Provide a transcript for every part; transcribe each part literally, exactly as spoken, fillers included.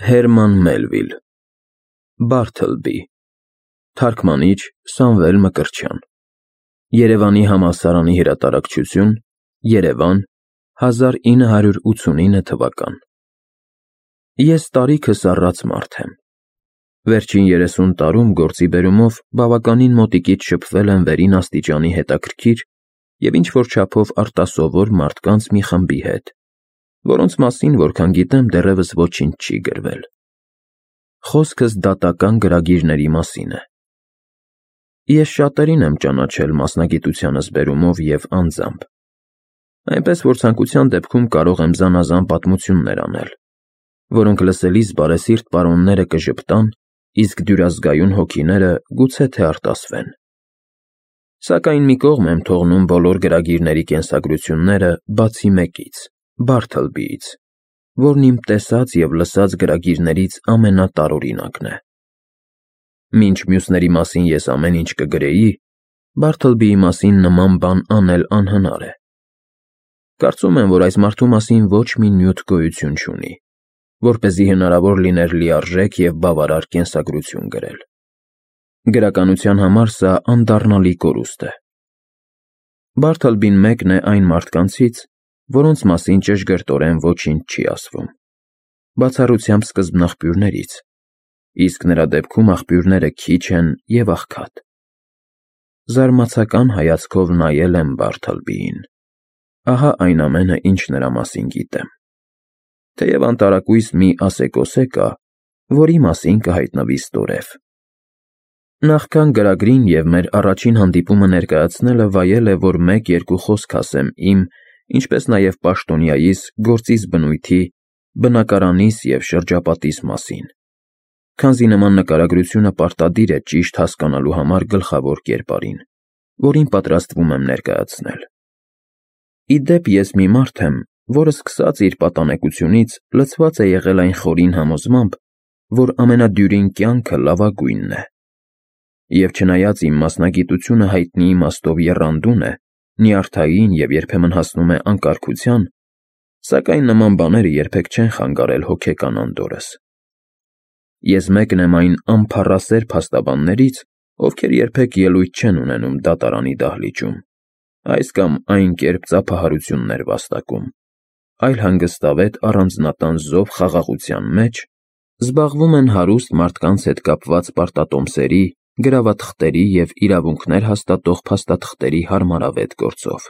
Հերման Մելվիլ Բարթլբի Թարգմանիչ Սամվել Մկրտչյան Երևանի համալսարանի հրատարակչություն Երևան հազար ինը հարյուր ութսունինը թվական Ես տարիքս առած մարդ եմ Վերջին երեսուն տարում գործի բերումով բավականին մոտիկից շփվել եմ վերին աստիճանի հետաքրքիր և ինչ-որ չափով արտասովոր մարդկանց մի խմբի հետ, որոնց մասին, որքան գիտեմ, դեռևս ոչինչ չի գրվել: Խոսքս դատական գրագիրների մասին է: Ես շատերին եմ ճանաչել մասնագիտությանս բերումով և անձամբ, այնպես որ ցանկության դեպքում կարող եմ զանազան պատմություններ անել, որոնք լսելիս բարեսիրտ պարոնները կժպտան, իսկ դյուրազգայուն հոգիները գուցե թե արտասվեն: Սակայն մի կողմ եմ թողնում բոլոր գրագիրների կենսագրությունները, բացի մեկից՝ Բարթլբիից, որն իմ տեսած և լսած գրագիրներից ամենատարօրինակն է: Մինչ մյուսների մասին ես ամեն ինչ կգրեի, Բարթլբիի մասին նման բան անել անհնար է: Կարծում եմ, որ այս մարդու մասին ոչ մի նյութ գոյություն չունի, որպեսզի հնարավոր լիներ լիարժեք և բավարար կենսագրություն գրել: Գրականության համար սա անդառնալի կորուստ է: Բարթլբին մեկն է այն մարդկանցից, որոնց մասին ճշգրտորեն ոչինչ չի ասվում, բացառությամբ սկզբնաղբյուրներից, իսկ նրա դեպքում աղբյուրները քիչ են և աղքատ: Զարմացական հայացքով նայել եմ Բարթլբիին: Ահա այն ամենը, ինչ նրա մասին գիտեմ: Թեև անտարակույս մի ասեկոսե կա, որի մասին կհայտնվի ստորև: Նախքան գրագրին և մեր առաջին հանդիպումը ներկայացնելը վայել է, որ մեկ-երկու խոսք ասեմ իմ, ինչպես նաև պաշտոնյայիս, գործիս բնույթի, բնակարանիս և շրջապատիս մասին, քանզի նման նկարագրությունը պարտադիր է ճիշտ հասկանալու համար գլխավոր կերպարին, որին պատրաստվում եմ ներկայացնել: Ի դեպ, ես մի մարդ եմ, որը սկսած իր պատանեկությունից լցված է եղել այն խորին համոզմամբ, որ ամենադյուրին կյանքը լավագույնն է: Եվ չնայած իմ մասնագիտությունը հայտնի իմաստով եռանդուն է, նյարդային և երբեմն հասնում է անկարգության, սակայն նման բաները երբեք չեն խանգարել հոգեկան անդորրս: Ես մեկն եմ այն անփառասեր փաստաբաններից, ովքեր երբեք ելույթ չեն ունենում դատարանի դահլիճում, այս կամ այն կերպ ծափահարություններ վաստակում, այլ հանգստավետ առանձնատան զով խաղաղության մեջ զբաղվում են հարուստ մարդկանց հետ կապված պարտատոմսերի, գրավաթղթերի և իրավունքներ հաստատող փաստաթղթերի հարմարավետ գործով: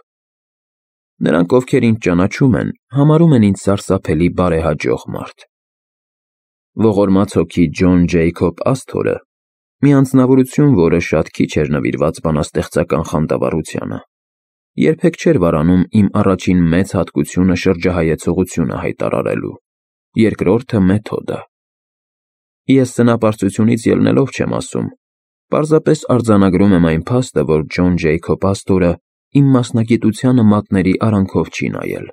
Նրանք, ովքեր ինձ ճանաչում են, համարում են ինձ սարսափելի բարեհաջող մարդ: Ողորմած հոգի Ջոն Ջեյքոբ Ասթորը, մի անձնավորություն, որը շատ քիչ էր նվիրված բանաստեղծական խանդավառությանը, երբեք չէր վարանում իմ առաջին մեծ հատկությունը շրջահայեցողությունը հայտարարելու, երկրորդը մեթոդը: Ես սնապարծությունից ելնելով չեմ ասում, պարզապես արձանագրում եմ այն փաստը, որ Ջոն Ջեյքոբ Ասթորը իմ մասնագիտությանը մատների արանքով չի նայել,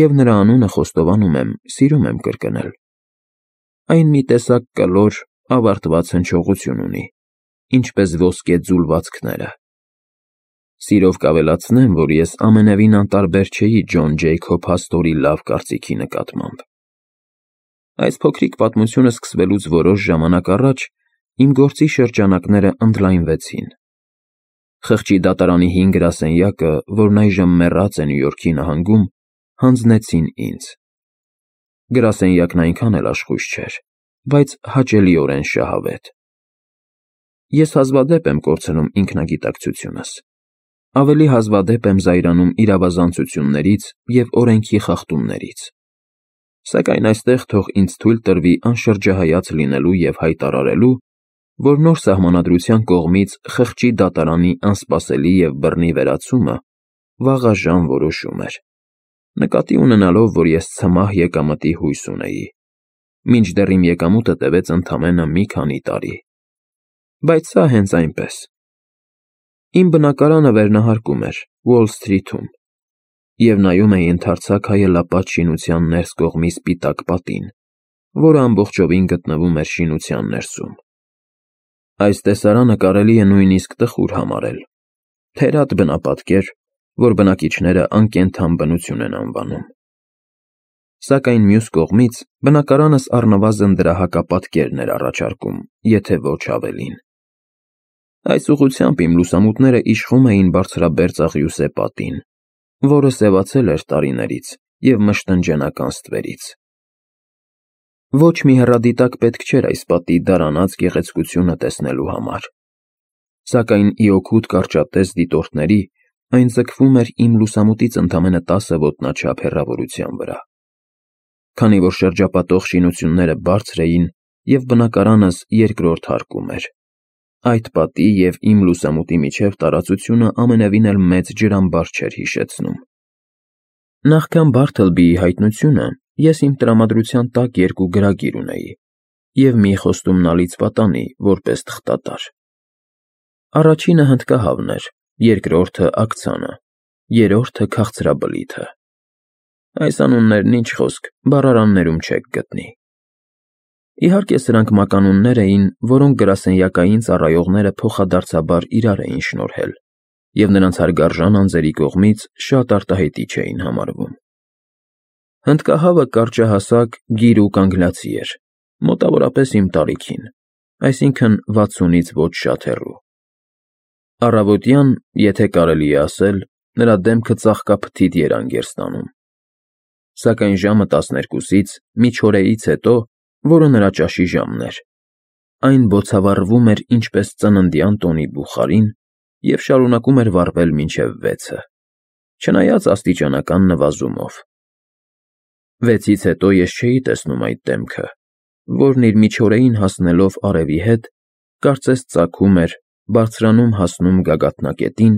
և նրա անունը խոստովանում եմ, սիրում եմ կրկնել: Այն մի տեսակ կլոր, ավարտված հնչողություն ունի, ինչպես ոսկե ձուլվածքները: Սիրով կավելացնեմ, որ ես ամենևին անտարբեր չէի Ջոն Ջեյքոբ Ասթորի լավ կարծիքի նկատմամբ: Այս փոքրիկ պատմությունը սկսվելուց որոշ ժամանակ առաջ իմ գործի շրջանակները ընդլայնվեցին: Խղճի դատարանի հին գրասենյակը, որն այժմ մեռած է Նյու Յորքի նահանգում, հանձնեցին ինձ: Գրասենյակն այնքան էլ աշխույժ չէր, բայց հաճելիորեն շահավետ: Ես հազվադեպ եմ կորցնում ինքնագիտակցությունս, ավելի հազվադեպ եմ զայրանում իրավազանցություններից և օրենքի խախտումներից: Սակայն այստեղ թող ինձ թույլ տրվի անշրջահայաց լինելու և հայտարարելու, որ նոր Սահմանադրության կողմից խղճի դատարանի անսպասելի և բռնի վերացումը վաղաժամ որոշում էր, նկատի ունենալով, որ ես ցմահ եկամտի հույս ունեի, մինչդեռ իմ եկամուտը տևեց ընդամենը մի քանի տարի: Բայց սա հենց այնպես: Իմ բնակարանը վերնահարկում էր Ուոլ Սթրիթում և նայում էի ընդարձակ հայելապատ շինության ներս կողմի սպիտակ պատին, որը ամբողջովին գտնվում էր շինության ներսում: Այս տեսարանը կարելի է նույնիսկ տխուր համարել, թերադ բնապատկեր, որ բնակիչները անկենդան բնություն են անվանում: Սակայն մյուս կողմից բնակարանս առնվազն դրա հակապատկերն էր առաջարկում, եթե ոչ ավելին։ Այս ուղղությամբ իմ լուսամուտները իշխում էին բարձրաբերձ աղյուսե պատին, որը սևացել էր տարիներից և մշտնջենական ստվերից։ Ոչ մի հեռադիտակ պետք չէր այս պատի դարանած գեղեցկությունը տեսնելու համար, սակայն ի օգուտ կարճատև դիտորդների այն ձգվում էր իմ լուսամուտից ընդամենը տասը ոտնաչափ հեռավորության վրա։ Քանի որ շրջապատող շինությունները բարձր էին և բնակարանս երկրորդ հարկում էր, այդ պատի և իմ լուսամուտի միջև տարածությունը ամենևին էլ մեծ ջրամբար չէր հիշեցնում։ Նախքան Բարթլբիի հայտնությունը ես իմ տրամադրության տակ երկու գրագիր ունեի և մի խոստումնալից պատանի որպես թղթատար։ Առաջինը հնդկահավն էր, երկրորդը աքցանը, երրորդը քաղցրաբլիթը։ Այս անուններն ինչ խոսք, բառարաններում չեք գտնի։ Իհարկե սրանք մականուններ էին, որոնք գրասենյակային ծառայողները փոխադարձաբար իրար էին շնորհել, և նրանց հարգարժան անձերի կողմից շատ արտահայտիչ էին համարվում։ Հնդկահավը կարճահասակ, գիրուկ անգլիացի էր, մոտավորապես իմ տարիքին, այսինքն վաթսունից ոչ շատ հեռու։ Առավոտյան, եթե կարելի է ասել, նրա դեմքը ծաղկափթիթ երանգ էր ստանում, սակայն ժամը տասներկուսից, միջօրեից հետո, որը նրա ճաշի ժամն էր, այն բոցավառվում էր ինչպես ծննդյան տոնի բուխարին և շարունակում էր վառվել մինչև վեցը, չնայած աստիճանական նվազումով։ Վեցից հետո ես չէի տեսնում այդ դեմքը, որն իր միջօրեին հասնելով արևի հետ, կարծես ծագում էր, բարձրանում հասնում գագաթնակետին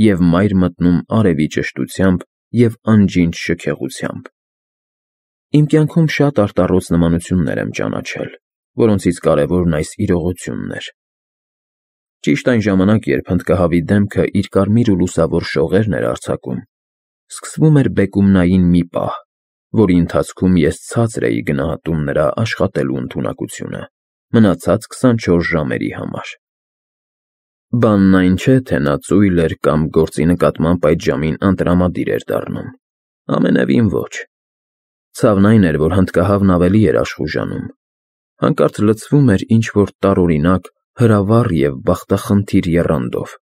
և մայր մտնում արևի ճշտությամբ և անջինջ շքեղությամբ։ Իմ կյանքում շատ արտառոց նմանություններ եմ ճանաչել, որոնցից կարևորն այս իրողությունն էր։ Ճիշտ այն ժամանակ, երբ հնդկահավի դեմքը իր կարմիր ու լուսավոր շողերն էր արձակում, սկսվում էր բեկումնային մի պահ, որի ընթացքում ես ցածր էի գնահատում նրա աշխատելու ընդունակությունը մնացած քսանչորս ժամերի համար։ Բանն այն չէ, թե նա ծույլ էր կամ գործի նկատմամբ այդ ժամին անտրամադիր էր դառնում, ամենևին ոչ։ Ցավն այն էր, որ հնդկահավն ավելի էր աշխուժանում, հանկարծ լցվում էր ինչ-որ տարօրինակ, հրավառ և բախտախնդիր եռանդով։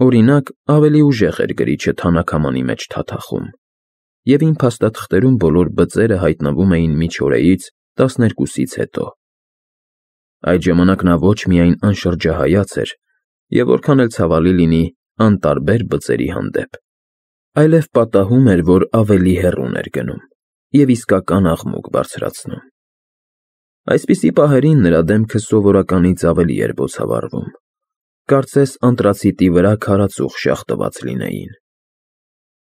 Օրինակ, ավելի ուժեղ էր գրիչը թանաքամանի մեջ թաթախում, և իմ փաստաթղթերում բոլոր բծերը հայտնվում էին միջօրեից տասներկուսից հետո։ Այդ ժամանակ նա ոչ միայն անշրջահայաց էր և որքան էլ ցավալի լինի, անտարբեր բծերի հանդեպ, այլև պատահում էր, որ ավելի հեռուն էր գնում և իսկական աղմուկ բարձրացնում։ Այսպիսի պահերին նրա դեմքը սովորականից ավելի էր բոցավառվում, կարծես անտրացիտի վրա քարածուխ շաղ տված լինեին։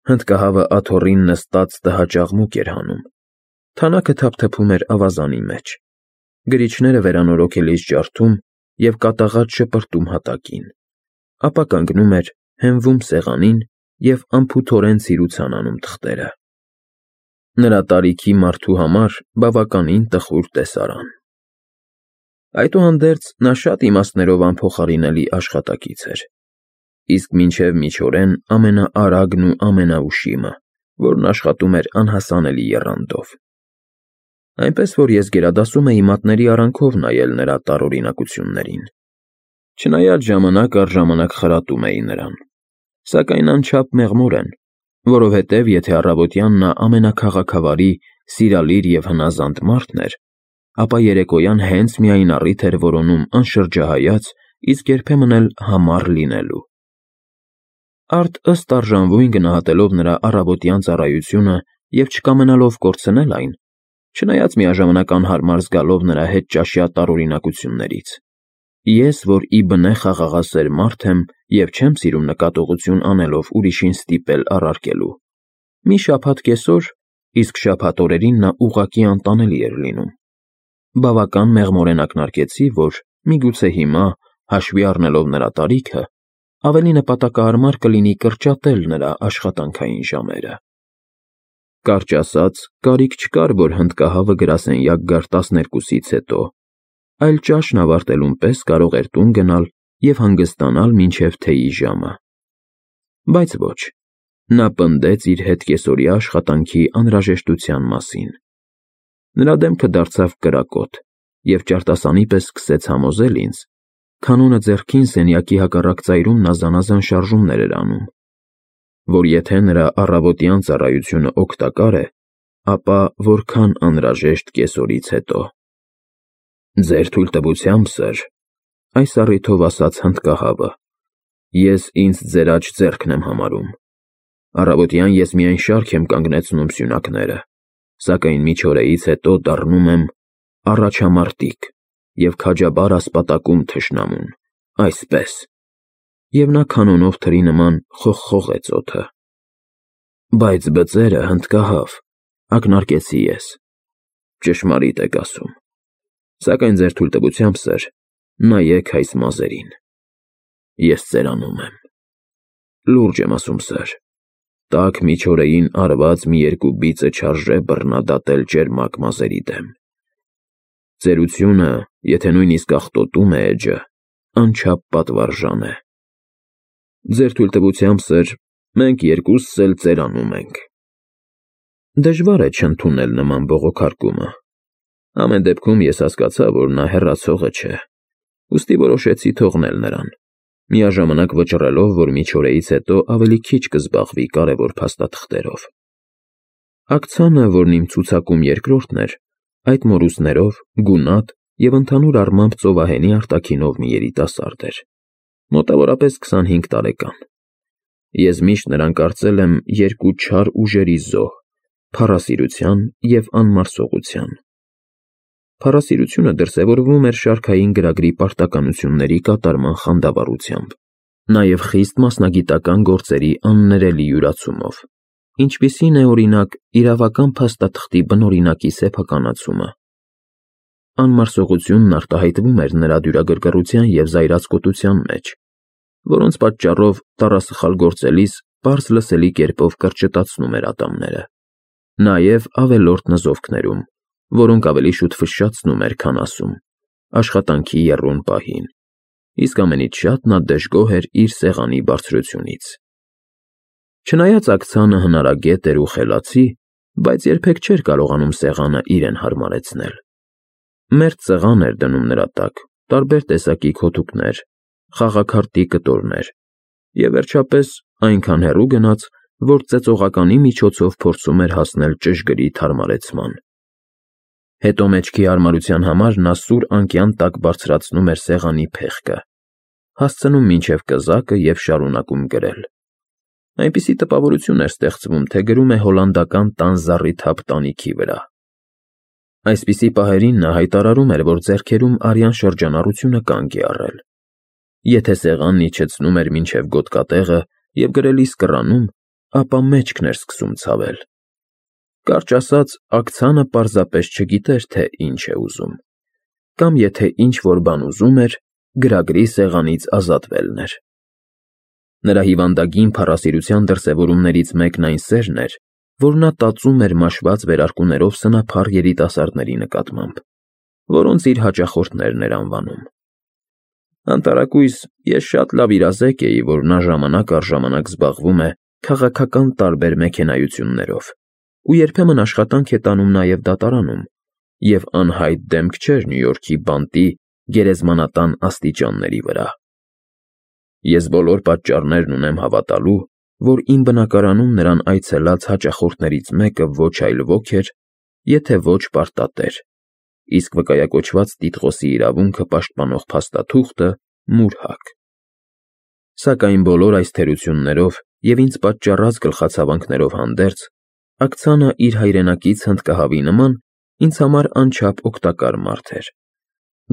Հնդկահավը աթոռին նստած տհաճ էր հանում, թանաքը թափթփում էր ավազանի մեջ, գրիչները վերանորոգելիս ջարդում և կատաղած շպրտում հատակին, ապա կանգնում էր, հենվում սեղանին և անփութորեն ցիրուցան անում թղթերը։ Նրա տարիքի մարդու համար բավականին տխուր տեսարան։ Այդուհանդերձ, նա շատ իմաստներով անփոխարինելի աշխատակից էր, իսկ մինչև միջօրեն ամենաարագն ու ամենաուշիմը, որն աշխատում էր անհասանելի եռանդով։ Այնպես որ ես գերադասում էի մատների արանքով նայել նրա տարօրինակություններին, չնայած ժամանակ առ ժամանակ խրատում էի նրան, սակայն անչափ մեղմորեն, որովհետև եթե առավոտյան նա ամենաքաղաքավարի, սիրալիր և հնազանդ մարդն էր, ապա երեկոյան հենց միայն առիթ էր որոնում անշրջահայաց, իսկ երբեմն էլ համառ լինելու։ Արդ ըստ արժանվույն գնահատելով նրա առավոտյան ծառայությունը և չկամենալով կորցնել այն, չնայած միաժամանակ անհարմար զգալով նրա հետ ճաշյա տարօրինակություններից, ես, որ ի բնե խաղաղասեր մարդ եմ և չեմ սիրում նկատողություն անելով ուրիշին ստիպել առարկելու, մի շաբաթ կեսօր, իսկ շաբաթ օրերին նա ուղղակի անտանելի էր լինում, բավական մեղմորեն ակնարկեցի, որ միգուցե հիմա, հաշվի առնելով նրա տարիքը, ավելի նպատակահարմար կլինի կրճատել նրա աշխատանքային ժամերը։ Կարճ ասած, կարիք չկար, որ հնդկահավը գրասենյակ գար տասներկուսից հետո, այլ ճաշն ավարտելուն պես կարող էր տուն գնալ և հանգստանալ մինչև թեյի ժամը։ Բայց ոչ, Նա պնդեց իր հետ կեսօրյա աշխատանքի անհրաժեշտության մասին։ Նրա դեմքը դարձավ կրակոտ, և ճարտասանի պես սկսեց համոզել ինձ, քանոնը ձեռքին սենյակի հակառակ ծայրում նա զանազան շարժումներ էր անում, որ եթե նրա առավոտյան ծառայությունը օգտակար է, ապա որքան անհրաժեշտ կեսօրից հետո։ Ձեր թույլտվությամբ, սըր, այս առիթով ասաց հնդկահավը, ես ինձ ձեր աջ ձեռքն եմ համարում։ Առավոտյան ես միայն շարք եմ կանգնեցնում սյունակները, սակայն միջօրեից հետո դառնում եմ առաջամարտիկ և քաջաբար ասպատակում թշնամուն, այսպես։ Եվ նա քանոնով թրի նման խողխողեց օդը։ Բայց բծերը, հնդկահավ, ակնարկեցի ես, ճշմարիտ եք ասում, սակայն ձեր թույլտվությամբ, սըր, նայեք այս մազերին, ես ծերանում եմ, լուրջ եմ ասում, սըր, տաք միջօրեին արված մի երկու բիծը չարժե բռնադատել ճերմակ մազերի դեմ։ Ծերությունը, եթե նույնիսկ աղտոտում է էջը, անչափ պատվարժան է։ Ձեր թույլտվությամբ, սըր, մենք երկուսս էլ ծերանում ենք։ Դժվար է չընդունել նման բողոքարկումը։ Ամեն դեպքում ես հասկացա, որ նա հեռացողը չէ, ուստի որոշեցի թողնել նրան, միաժամանակ վճռելով, որ միջօրեից հետո ավելի քիչ կզբաղվի կարևոր փաստաթղթերով։ Ակցանը, որն իմ ցուցակում երկրորդն էր, այդ մորուսներով, գունատ և ընդհանուր առմամբ ծովահենի արտաքինով մի երիտասարդ էր, մոտավորապես քսանհինգ տարեկան։ Ես միշտ նրան կարծել եմ երկու չար ուժերի զոհ՝ փառասիրության և անմարսողության։ Փառասիրությունը դրսևորվում էր շարքային գրագրի պարտականությունների կատարման խանդավառությամբ, նաև խիստ մասնագիտական գործերի աններելի յուրացումով, ինչպիսին է, օրինակ, իրավական փաստաթղթի բնօրինակի սեփականացումը։ Անմարսողությունն արտահայտվում էր նրա դյուրագրգռության և զայրացկոտության մեջ, որոնց պատճառով տառասխալ գործելիս պարզ լսելի կերպով կրճտացնում էր ատամները, նաև ավելորդ նզովքներում, որոնք ավելի շուտ ֆշշացնում էր, քան ասում, աշխատանքի եռուն պահին, իսկ ամենից շատ նա դժգոհ էր իր սեղանի բարձրությունից։ Չնայած ակցանը հնարագետ էր ու խելացի, բայց երբեք չէր կարողանում սեղանը իրեն հարմարեցնել։ Մերթ սեղան էր դնում նրա տակ, տարբեր տեսակի քոթուկներ, խաղաքարտի կտորներ և, վերջապես, այնքան հեռու գնաց, որ ծեծողականի միջոցով փորձում էր հասնել ճշգրիտ հարմարեցման։ Հետո մեջքի հարմարության համար նա սուր անկյան տակ բարձրացնում էր սեղանի փեղկը, հասցնում մինչև կզակը և շարունակում գրել։ Այնպիսի տպավորություն էր ստեղծվում, թե գրում է հոլանդական տան զառիթափ տանիքի վրա։ Այսպիսի պահերին նա հայտարարում էր, որ ձեռքերում արյան շրջանառությունը կանգ է առել։ Եթե սեղանն իջեցնում էր մինչև գոտկատեղը և գրելիս կռանում, ապա մեջքն էր սկսում ցավել։ Կարճ ասած, ակցանը պարզապես չգիտեր, թե ինչ է ուզում, կամ եթե ինչ-որ բան ուզում էր, գրագրի սեղանից ազատվելն էր։ Նրա հիվանդագին փառասիրության դրսևորումներից մեկն այն սերն էր, որ նա տածում էր մաշված վերարկուներով սնափառ երիտասարդների նկատմամբ, որոնց իր հաճախորդներն էր անվանում։ Անտարակույս ես շատ լավ իրազեկ էի, որ նա ժամանակ առ ժամանակ զբաղվում է քաղաքական տարբեր մեքենայություններով ու երբեմն աշխատանք է տանում նաև դատարանում, և անհայտ դեմք չէր Նյու Յորքի բանտի գերեզմանատան աստիճանների վրա։ Ես բոլոր պատճառներն ունեմ հավատալու, որ իմ բնակարանում նրան այցելած հաճախորդներից մեկը ոչ այլ ոք էր, եթե ոչ պարտատեր, իսկ վկայակոչված տիտղոսի իրավունքը պաշտպանող փաստաթուղթը՝ մուրհակ։ Սակայն բոլոր այս թերություններով և ինձ պատճառած գլխացավանքներով հանդերձ, ակցանը իր հայրենակից հնդկահավի նման ինձ համար անչափ օգտակար մարդ էր։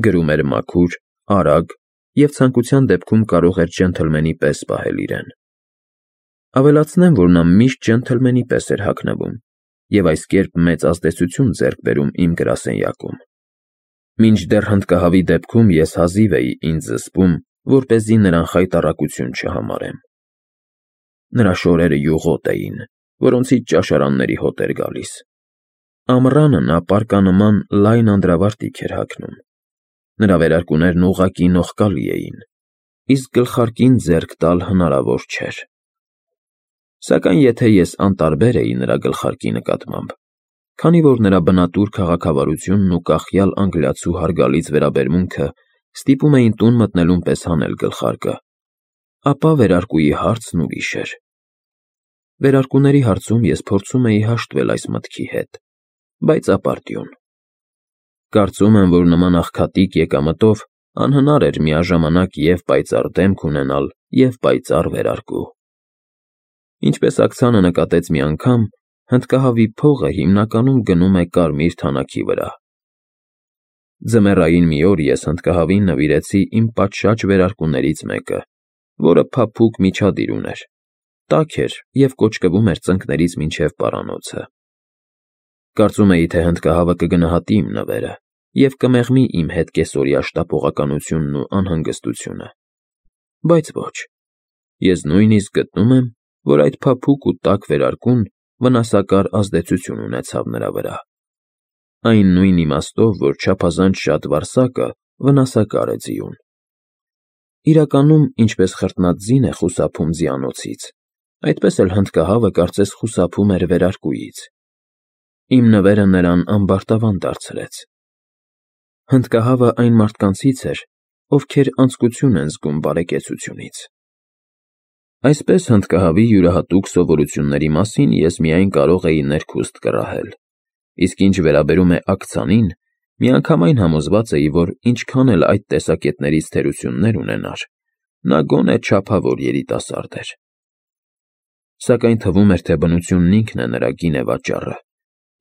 Գրում էր մաքուր, արագ և ցանկության դեպքում կարող էր ջենթլմենի պես պահել իրեն։ Ավելացնեմ, որ նա միշտ ջենթլմենի պես էր հագնվում և այս կերպ մեծ ազդեցություն ձեռք բերում իմ գրասենյակում։ Մինչդեռ հնդկահավի դեպքում ես հազիվ էի ինձ զսպում, որպեսզի նրան խայտառակություն չհամարեմ։ Նրա շորերը յուղոտ էին, որոնցից ճաշարանների հոտ էր գալիս։ Ամռանը նա պարկանման լայն անդրավարտիք էր հագնում։ Նրա վերարկուներն ուղղակի նողկալի էին, իսկ գլխարկին ձեռք տալ հնարավոր չէր։ Սակայն եթե ես անտարբեր էի նրա գլխարկի նկատմամբ, քանի որ նրա բնատուր քաղաքավարությունն ու կախյալ անգլիացու հարգալից վերաբերմունքը ստիպում էին տուն մտնելուն պես հանել գլխարկը, ապա վերարկուի հարցն ուրիշ էր։ Վերարկուների հարցում ես փորձում էի հաշտվել այս մտքի հետ, բայց ապարդյուն։ Կարծում եմ, որ նման աղքատիկ եկամտով անհնար էր միաժամանակ և պայծառ դեմք ունենալ, և պայծառ վերարկու։ Ինչպես աքցանը նկատեց մի անգամ, հնդկահավի փողը հիմնականում գնում է կարմիր թանաքի վրա։ Ձմեռային մի օր ես հնդկահավին նվիրեցի իմ պատշաճ վերարկուներից մեկը, որը փափուկ միջադիր ուներ, տաք էր և կոճկվում էր ծնկներից մինչև պարանոցը։ Կարծում էի, թե հնդկահավը կգնահատի իմ նվերը և կմեղմի իմ հետ կեսօրյա շտապողականությունն ու անհանգստությունը, բայց ոչ, ես նույնիսկ գտնում եմ, որ այդ փափուկ ու տաք վերարկուն վնասակար ազդեցություն ունեցավ նրա վրա, այն նույն իմաստով, որ չափազանց շատ վարսակը վնասակար է ձիուն։ Իրականում, ինչպես խրտնած ձին է խուսափում ձիանոցից, այդպես էլ հնդկահավը կարծես խուսափում էր վերարկուից։ Իմ նվերը նրան ամբարտավան դարձրեց։ Հնդկահավը այն մարդկանցից էր, ովքեր անձկություն են զգում բարեկեցությունից։ Այսպես հնդկահավի յուրահատուկ սովորությունների մասին ես միայն կարող էի ներքուստ կռահել, իսկ ինչ վերաբերում է աքցանին, միանգամայն համոզված էի, որ ինչքան էլ այդ տեսակետներից թերություններ ունենար, նա գոնե չափավոր երիտասարդ էր։ Սակայն թվում էր, թե բնությունն ինքն է նրա գինեվաճառը,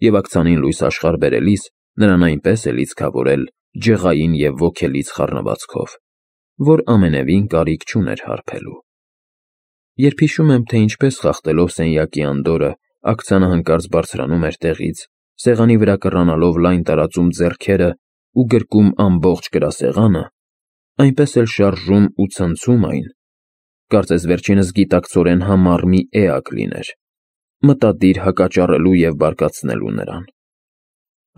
և աքցանին լույս աշխարհ բերելիս նրան այնպես է լիցքավորել ջղային և ոգելից խառնվածքով, որ ամենևին կարիք չուներ հարբելու։ Երբ հիշում եմ, թե ինչպես խախտելով սենյակի անդորրը աքցանը հանկարծ բարձրանում էր տեղից, սեղանի վրա կռանալով լայն տարածում ձեռքերը ու գրկում ամբողջ գրասեղանը, այնպես էլ շարժում ու ցնցում այն, կարծես վերջինս գիտակցորեն համառ մի էակ լիներ, մտադիր հակաճառելու և բարկացնելու նրան,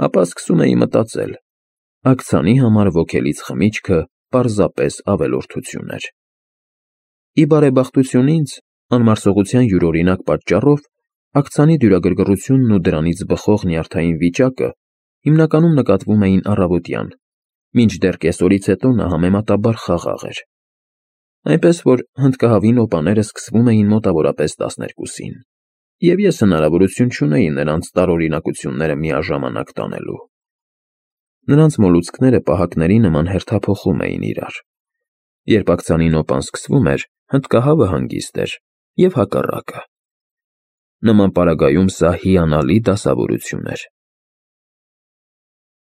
ապա սկսում էի մտածել. աքցանի համար ոգելից խմիչքը պարզապես ավելորդություն էր։ Ի բարեբախտություն ինձ, անմարսողության յուրօրինակ պատճառով, աքցանի դյուրագրգռությունն ու դրանից բխող նյարդային վիճակը հիմնականում նկատվում էին առավոտյան, մինչդեռ կեսօրից հետո նա համեմատաբար խաղաղ էր։ Այնպես որ հնդկահավի նոպաները սկսվում էին մոտավորապես տասներկուսին, և ես հնարավորություն չունեի նրանց տարօրինակությունները միաժամանակ տանելու։ Նրանց մոլուցքները պահակների նման հերթափոխում էին իրար։ Երբ աքցանի նոպան սկսվում էր, հնդկահավը հանգիստ էր, և հակառակը։ Նման պարագայում սա հիանալի դասավորություն էր։